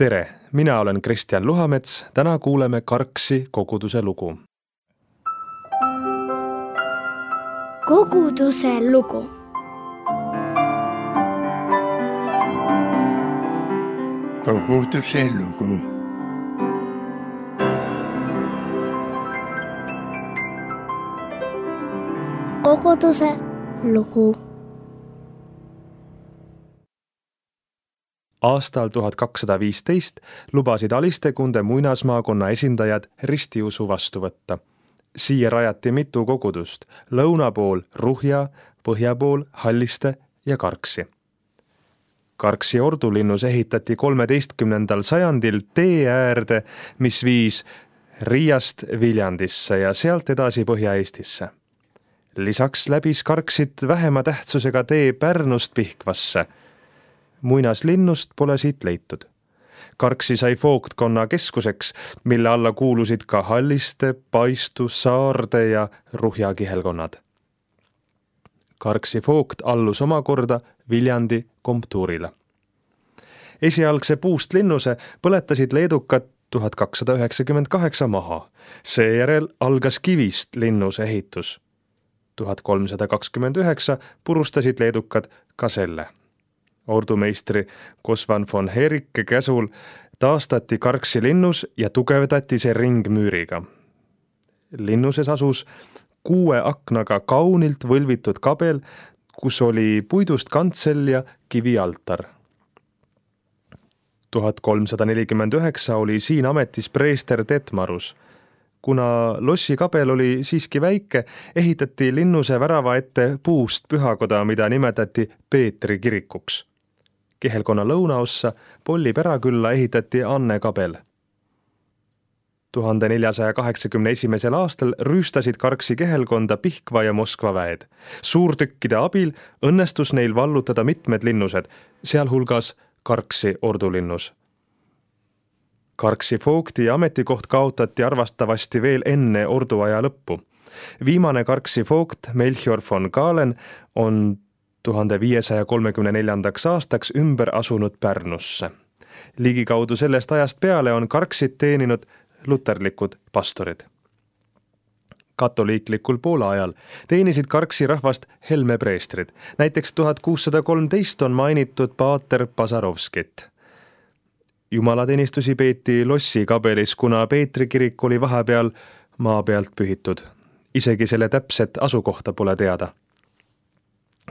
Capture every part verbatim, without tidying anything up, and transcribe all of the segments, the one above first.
Tere, mina olen Kristjan Luhamets, täna kuuleme Karksi koguduse lugu. Koguduse lugu. Koguduse lugu. Koguduse lugu. Aastal tuhat kakssada viisteist lubasid Alistekunde muinasmaakonna esindajad ristiusu vastu võtta. Siia rajati mitu kogudust, lõuna pool Ruhja, põhja pool Halliste ja Karksi. Karksi ordulinnus ehitati kolmeteistkümnendal sajandil tee äärde, mis viis Riiast Viljandisse ja sealt edasi Põhja-Eestisse. Lisaks läbis Karksit vähema tähtsusega tee Pärnust Pihkvasse. Muinaslinnust pole siit leitud. Karksi sai voogtkonna keskuseks, mille alla kuulusid ka Halliste, Paistu, Saarde ja Ruhja kihelkonnad. Karksi voogt allus omakorda Viljandi komtuurile. Esialgse puust linnuse põletasid leedukad tuhat kakssada üheksakümmend kaheksa maha. Seejärel algas kivist linnuse ehitus. tuhat kolmsada kakskümmend üheksa purustasid leedukad ka selle. Ordumeistri Kosvan von Herike käsul taastati Karksi linnus ja tugevdati see ringmüüriga. Linnuses asus kuue aknaga kaunilt võlvitud kabel, kus oli puidust kantsel ja kivialtar. tuhat kolmsada nelikümmend üheksa oli siin ametis preester Detmarus. Kuna lossi kabel oli siiski väike, ehitati linnuse värava ette puust pühakoda, mida nimetati Peetri kirikuks. Kihelkonna lõunaossa Polli Perakülla ehitati Anne kabel. tuhande neljasaja kaheksakümne esimesel aastal rüüstasid Karksi kihelkonda Pihkva ja Moskva väed. Suurtükkide abil õnnestus neil vallutada mitmed linnused, sealhulgas Karksi ordulinnus. Karksi voogti ametikoht kaotati arvastavasti veel enne orduaja lõppu. Viimane Karksi voogt Melchior von Galen on tuhande viiesaja kolmekümne neljandaks aastaks ümber asunud Pärnusse. Ligikaudu sellest ajast peale on Karksit teeninud luterlikud pastorid. Katoliiklikul Poola ajal teenisid Karksi rahvast Helme preestrid. Näiteks tuhat kuussada kolmteist on mainitud paater Pasarovskit. Jumalateenistusi peeti lossi kabelis, kuna Peetri kirik oli vahepeal maa pealt pühitud. Isegi selle täpset asukohta pole teada.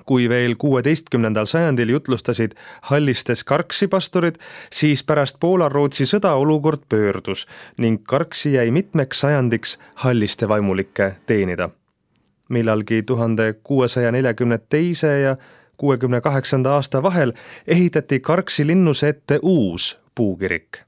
Kui veel kuueteistkümnendal sajandil jutlustasid Hallistes Karksi pastorid, siis pärast Poola-Rootsi sõda olukord pöördus ning Karksi jäi mitmeks sajandiks Halliste vaimulikke teenida. Millalgi tuhande kuuesaja neljakümne teise ja kuuekümne kaheksanda aasta vahel ehitati Karksi linnuse ette uus puukirik.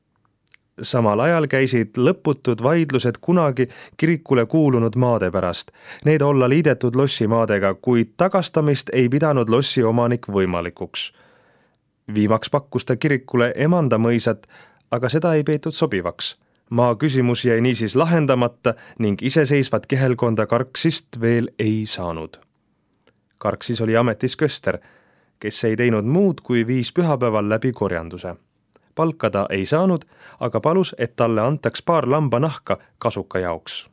Samal ajal käisid lõputud vaidlused kunagi kirikule kuulunud maade pärast. Need olla liidetud lossi maadega, kuid tagastamist ei pidanud lossi omanik võimalikuks. Viimaks pakkus ta kirikule Emanda mõisat, aga seda ei peetud sobivaks. Maa küsimus jäi niisiis lahendamata ning iseseisvat kihelkonda Karksist veel ei saanud. Karksis oli ametis köster, kes ei teinud muud kui viis pühapäeval läbi korjanduse. Palkada ei saanud, aga palus, et talle antaks paar lambanahka kasuka jaoks.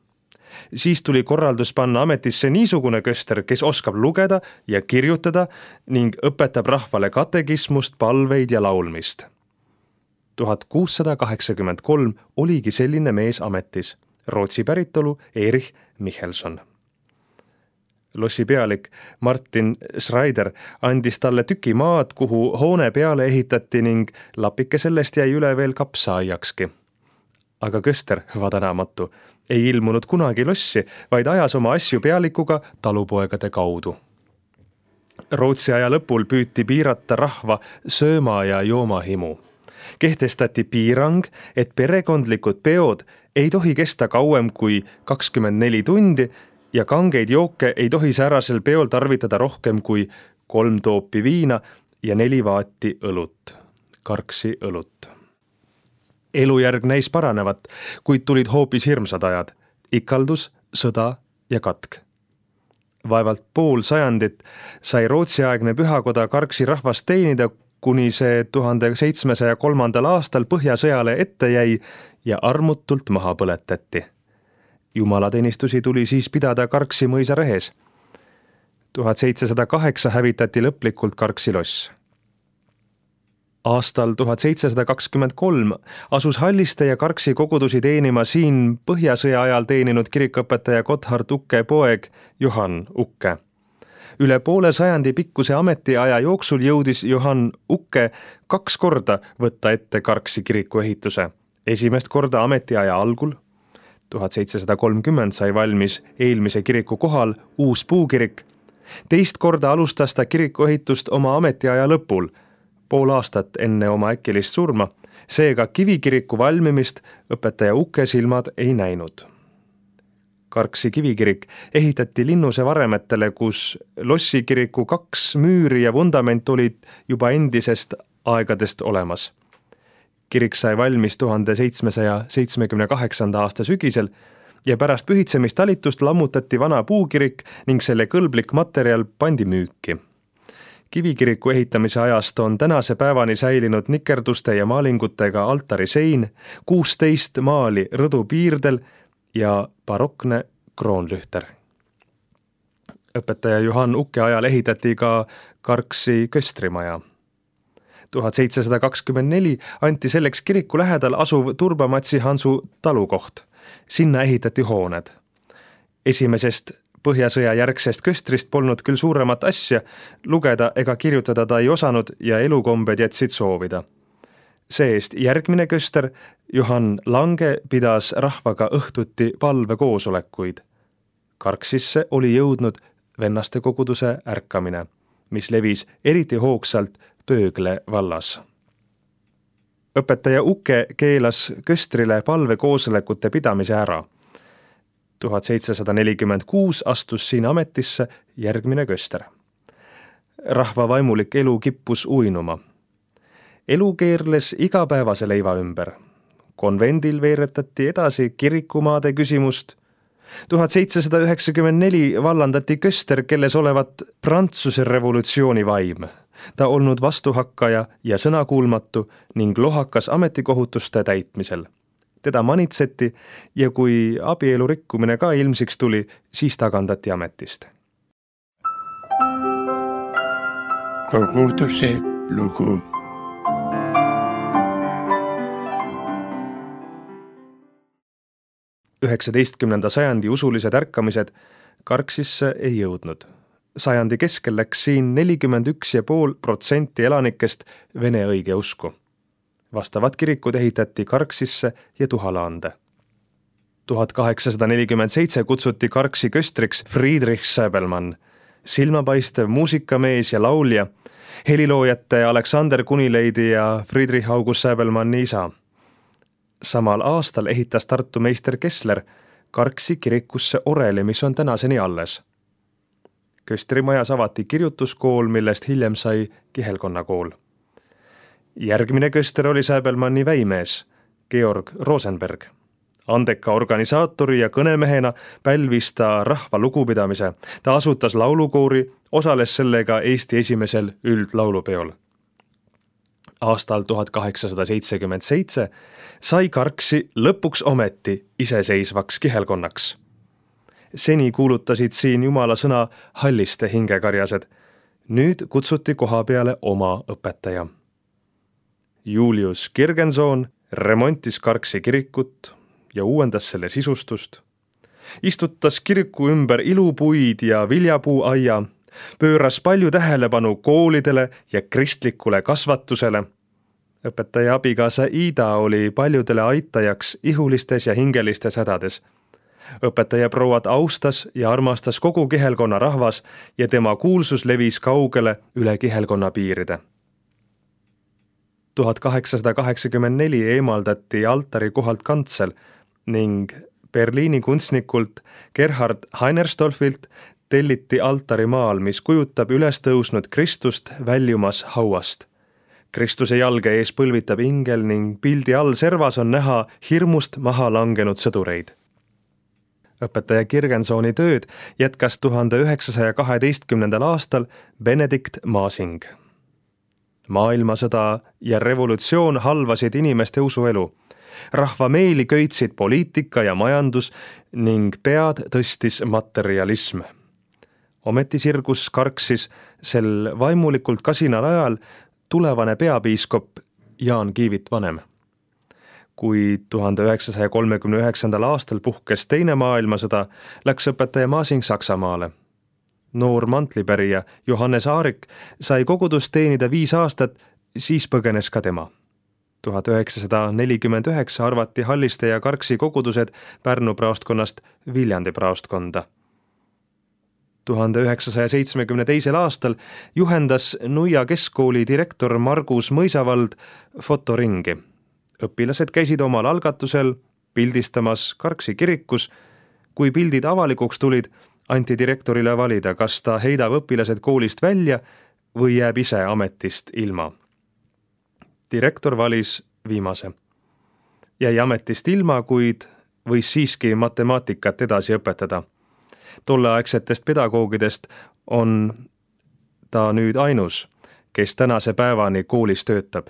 Siis tuli korraldus panna ametisse niisugune köster, kes oskab lugeda ja kirjutada ning õpetab rahvale katekismust, palveid ja laulmist. tuhat kuussada kaheksakümmend kolm oligi selline mees ametis, Rootsi päritolu Erich Michelson. Lossi pealik Martin Schreider andis talle tüki maad, kuhu hoone peale ehitati ning lapike sellest jäi üle veel kapsaaiakski. Aga köster, vadanamatu, ei ilmunud kunagi lossi, vaid ajas oma asju pealikuga talupoegade kaudu. Rootsi aja lõpul püüti piirata rahva sööma ja joomahimu. Kehtestati piirang, et perekondlikud peod ei tohi kesta kauem kui kakskümmend neli tundi ja kangeid jooke ei tohi säärasel peol tarvitada rohkem kui kolm toopi viina ja neli vaati õlut, Karksi õlut. Elujärg näis paranevat, kuid tulid hoopis hirmsad ajad, ikaldus, sõda ja katk. Vaevalt pool sajandit sai Rootsi-aegne pühakoda Karksi rahvast teenida, kuni see tuhande seitsmesaja kolmandal aastal Põhjasõjale ette jäi ja armutult maha põletati. Jumalateenistusi tuli siis pidada Karksi mõisa rehes. tuhat seitsesada kaheksa hävitati lõplikult Karksi loss. Aastal tuhat seitsesada kakskümmend kolm asus Halliste ja Karksi kogudusi teenima siin Põhjasõja ajal teeninud kirikuõpetaja Gotthard Ukke poeg Johann Ukke. Üle poole sajandi pikkuse ametiaja jooksul jõudis Johann Ukke kaks korda võtta ette Karksi kiriku ehituse. Esimest korda ametiaja algul, tuhat seitsesada kolmkümmend sai valmis eelmise kiriku kohal uus puukirik. Teist korda alustas ta kiriku ehitust oma ametiaja lõpul, pool aastat enne oma äkilist surma, seega kivikiriku valmimist õpetaja Ukke silmad ei näinud. Karksi kivikirik ehitati Linnuse varemetele, kus Lossi kiriku kaks müüri ja vundament olid juba endisest aegadest olemas. Kirik sai valmis tuhande seitsmesaja seitsmekümne kaheksanda aasta sügisel ja pärast pühitsemistalitust lammutati vana puukirik ning selle kõlblik materjal pandi müüki. Kivikiriku ehitamise ajast on tänase päevani säilinud nikerduste ja maalingutega altari sein, kuusteist maali rõdu piirdel ja barokne kroonlühter. Õpetaja Johann Ukke ajal ehitati ka Karksi köstrimaja. tuhat seitsesada kakskümmend neli anti selleks kiriku lähedal asuv Turbamatsi Hansu talukoht. Sinna ehitati hooned. Esimesest Põhjasõja järgsest köstrist polnud küll suuremat asja, lugeda ega kirjutada ta ei osanud ja elukombed jätsid soovida. See-eest järgmine köster, Johann Lange, pidas rahvaga õhtuti palvekoosolekuid. Karksisse oli jõudnud vennaste koguduse ärkamine, mis levis eriti hoogsalt Pöögle vallas. Õpetaja Ukke keelas köstrile palvekoosolekute pidamise ära. tuhat seitsesada nelikümmend kuus astus siin ametisse järgmine köster. Rahva vaimulik elu kippus uinuma. Elu keerles igapäevase leiva ümber. Konvendil veeretati edasi kirikumaade küsimust. tuhat seitsesada üheksakümmend neli vallandati köster, kelles olevat Prantsuse revolutsiooni vaim. Ta olnud vastuhakkaja ja sõnakuulmatu ning lohakas ametikohutuste täitmisel. Teda manitseti ja kui abielu rikkumine ka ilmsiks tuli, siis tagandati ametist. Koguduse lugu. üheksateistkümnenda sajandi usulised ärkamised Karksisse ei jõudnud. Sajandi keskel läks siin nelikümmend üks ja pool protsenti elanikest vene õigeusku. Vastavad kirikud ehitati Karksisse ja Tuhalaande. tuhat kaheksasada nelikümmend seitse kutsuti Karksi köstriks Friedrich Säbelmann, silmapaistev muusikamees ja laulja, heliloojate Aleksander Kunileidi ja Friedrich August Säbelmanni isa. Samal aastal ehitas Tartu meister Kessler Karksi kirikusse oreli, mis on tänaseni alles. Köstrimajas avati kirjutuskool, millest hiljem sai kihelkonnakool. Järgmine köster oli Säbelmanni väimees, Georg Rosenberg. Andeka organisaatori ja kõnemehena pälvis ta rahva lugupidamise. Ta asutas laulukoori, osales sellega Eesti esimesel üldlaulupeol. Aastal tuhat kaheksasada seitsekümmend seitse sai Karksi lõpuks ometi iseseisvaks kihelkonnaks. Seni kuulutasid siin Jumala sõna Halliste hingekarjased. Nüüd kutsuti koha peale oma õpetaja. Julius Kirgensoon remontis Karksi kirikut ja uuendas selle sisustust. Istutas kiriku ümber ilupuid ja viljapuuaia, pööras palju tähelepanu koolidele ja kristlikule kasvatusele. Õpetaja abikaasa Ida oli paljudele aitajaks ihulistes ja hingelistes hädades. Õpetaja prouad austas ja armastas kogu kihelkonna rahvas ja tema kuulsus levis kaugele üle kihelkonna piiride. tuhat kaheksasada kaheksakümmend neli eemaldati altari kohalt kantsel ning Berliini kunstnikult Gerhard Heinerstolfilt telliti altarimaal, mis kujutab üles tõusnud Kristust väljumas hauast. Kristuse jalge ees põlvitab ingel ning pildi all servas on näha hirmust maha langenud sõdureid. Õpetaja Kirgensooni tööd jätkas tuhande üheksasaja kaheteistkümnendal aastal Benedikt Maasing. Maailmasõda ja revolutsioon halvasid inimeste usuelu. Rahva meeli köitsid poliitika ja majandus ning pead tõstis materialism. Ometi sirgus karksis sel vaimulikult kasinal ajal tulevane peapiiskop Jaan Kiivit vanem. Kui tuhande üheksasaja kolmekümne üheksandal aastal puhkes teine maailmasõda, läks õpetaja Masing Saksamaale. Noor mantlipärija Johannes Aarik sai kogudust teenida viis aastat, siis põgenes ka tema. tuhat üheksasada nelikümmend üheksa arvati Halliste ja Karksi kogudused Pärnu praostkonnast Viljandi praostkonda. tuhande üheksasaja seitsmekümne teisel aastal juhendas Nuia keskkooli direktor Margus Mõisavald fotoringi. Õpilased käisid omal algatusel pildistamas Karksi kirikus. Kui pildid avalikuks tulid, anti direktorile valida, kas ta heidab õpilased koolist välja või jääb ise ametist ilma. Direktor valis viimase. Jäi ametist ilma, kuid võis siiski matemaatikat edasi õpetada. Tolleaegsetest pedagoogidest on ta nüüd ainus, kes tänase päevani koolis töötab.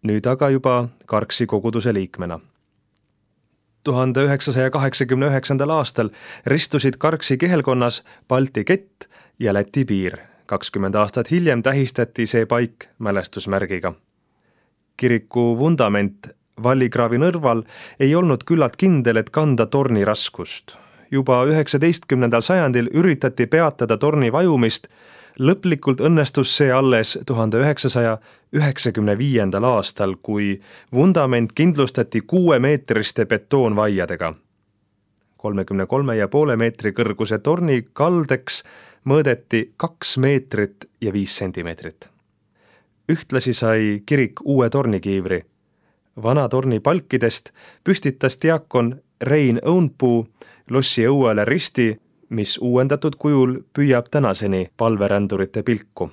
Nüüd aga juba Karksi koguduse liikmena. tuhande üheksasaja kaheksakümne üheksandal aastal ristusid Karksi kihelkonnas Balti kett ja Läti piir. kakskümmend aastat hiljem tähistati see paik mälestusmärgiga. Kiriku vundament Vallikraavi nõrval ei olnud küllalt kindel, et kanda torni raskust. Juba üheksateistkümnendal sajandil üritati peatada torni vajumist, lõplikult õnnestus see alles tuhande üheksasaja üheksakümne viiendal aastal, kui vundament kindlustati kuuemeetriste betoonvaiadega. kolmekümne kolme ja poole meetri kõrguse torni kaldeks mõõdeti kaks meetrit ja viis sentimeetrit. Ühtlasi sai kirik uue tornikiivri. Vana torni palkidest püstitas diakon Rein Õunpuu lossi õuele risti, mis uuendatud kujul püüab tänaseni palverändurite pilku.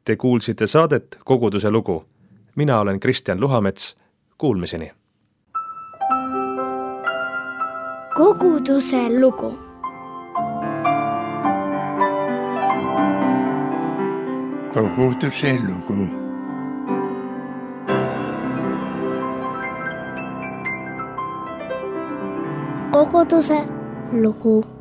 Te kuulsite saadet Koguduse lugu. Mina olen Kristjan Luhamets. Kuulmiseni. Koguduse lugu. Koguduse lugu. Koguduse lugu.